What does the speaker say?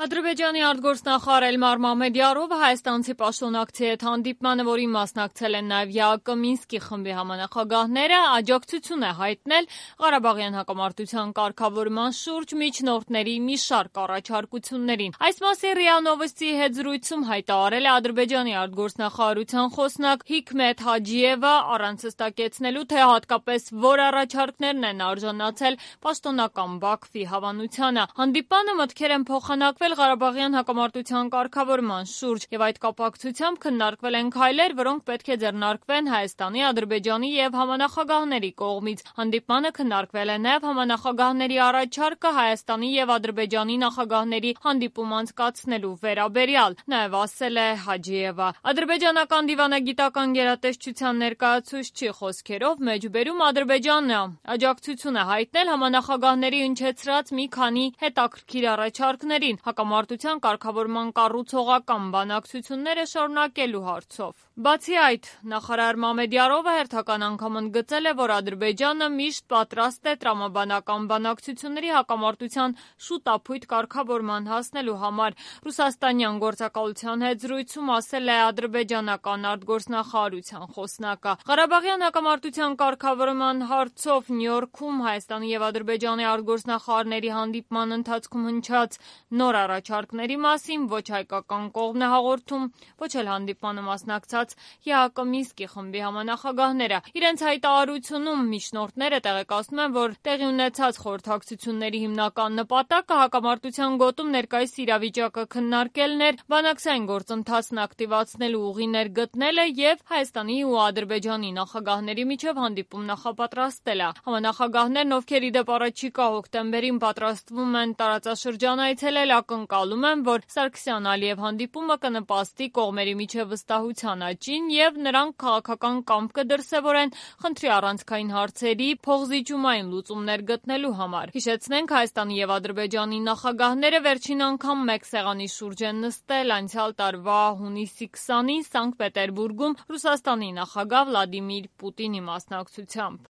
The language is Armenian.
Ադրբեջանի արտգործնախարար Էլմար Մամեդյարովը հայաստանցի պաշտոնակցի հետ հանդիպմանը, որին մասնակցել են նաև ԵԱԿ Մինսկի խմբի համանախագահները, աջակցություն է հայտնել Ղարաբաղյան հակամարտության կարգավորման շուրջ միջնորդների մի շարք առաջարկություններին։ Այս մասին ՌԻԱ Նովոստիի հետ զրույցում հայտարարել է Ադրբեջանի արտգործնախարարության խոսնակ Հիքմեթ Հաջիևը, առանց հստակեցնելու, թե հատկապես որ առաջարկներն են արժանացել պաշտոնական Բաքվի հավանությանը։ Հանդիպանը մտքեր են փոխանակվել Ղարաբաղյան հակամարտության կարգավորման շուրջ եւ այդ կապակցությամբ քննարկվել են քայլեր, որոնք պետք է ձեռնարկվեն Հայաստանի, Ադրբեջանի եւ համանախագահների կողմից։ Հանդիպմանը քննարկվել է նաեւ համանախագահների առաջարկը Հայաստանի եւ Ադրբեջանի նախագահների հանդիպում անցկացնելու վերաբերյալ, նաեւ ասել է Հաջիևը։ Ադրբեջանական դիվանագիտական գերատեսչության ներկայացուցչի խոսքերով մեջբերում Ադրբեջանը աջակցություն է հայտնել համանախագահների հնչեցրած մի քանի հետաքրքիր առաջարկներին հակամարտության կարգավորման կառուցողական բանակցությունները շարունակելու հարցով։ Բացի այդ, նախարար Մամեդյարովը հերթական անգամ ընդգծել է, որ Ադրբեջանը միշտ պատրաստ է տրամաբանական բանակցությունների հակամարտության շուտափույթ կարգավորման հասնելու համար։ Ռուսաստանյան գործակալության հետ զրույցում ասել է ադրբեջանական արտգործնախարարության խոսնակը։ Ղարաբաղյան հակամարտության կարգավորման հարցով Նյու Յորքում Հայաստանի եւ Ադրբեջանի արտգործնախարարների հանդիպման ընթացքում հնչած նոր առաջարկների մասին ոչ հայկական կողմն է հաղորդում, ոչ էլ հանդիպմանը մասնակցած ԵԱԿ Մինսկի խմբի համանախագահները։ Իրենց հայտարարությունում միջնորդները տեղեկացնում են, որ տեղի ունեցած խորհրդակցությունների հիմնական նպատակը հակամարտության գոտում ներկայիս իրավիճակը քննարկելն էր, բանակցային գործընթացն ակտիվացնելու ուղիներ գտնելը եւ Հայաստանի ու Ադրբեջանի նախագահների միջև հանդիպում նախապատրաստելը։ Համանախագահներն, ովքեր ի դեպ առաջիկա հոկտեմբերին պատրաստվում են տարածաշրջան այցելել, ակնկալում են, որ Սարգսյան-Ալիև հանդիպումը կնպաստի կողմերի միջև վստահության աճին եւ նրանք քաղաքական կամք կդրսեւորեն խնդրի առանցքային հարցերի փոխզիջումային լուծումներ գտնելու համար։ Հիշեցնենք, Հայաստանի եւ Ադրբեջանի նախագահները վերջին անգամ մեկ սեղանի շուրջ են նստել անցյալ տարվա հունիսի 20-ին Սանկտ Պետերբուրգում Ռուսաստանի նախագահ Վլադիմիր Պուտինի մասնակցությամբ։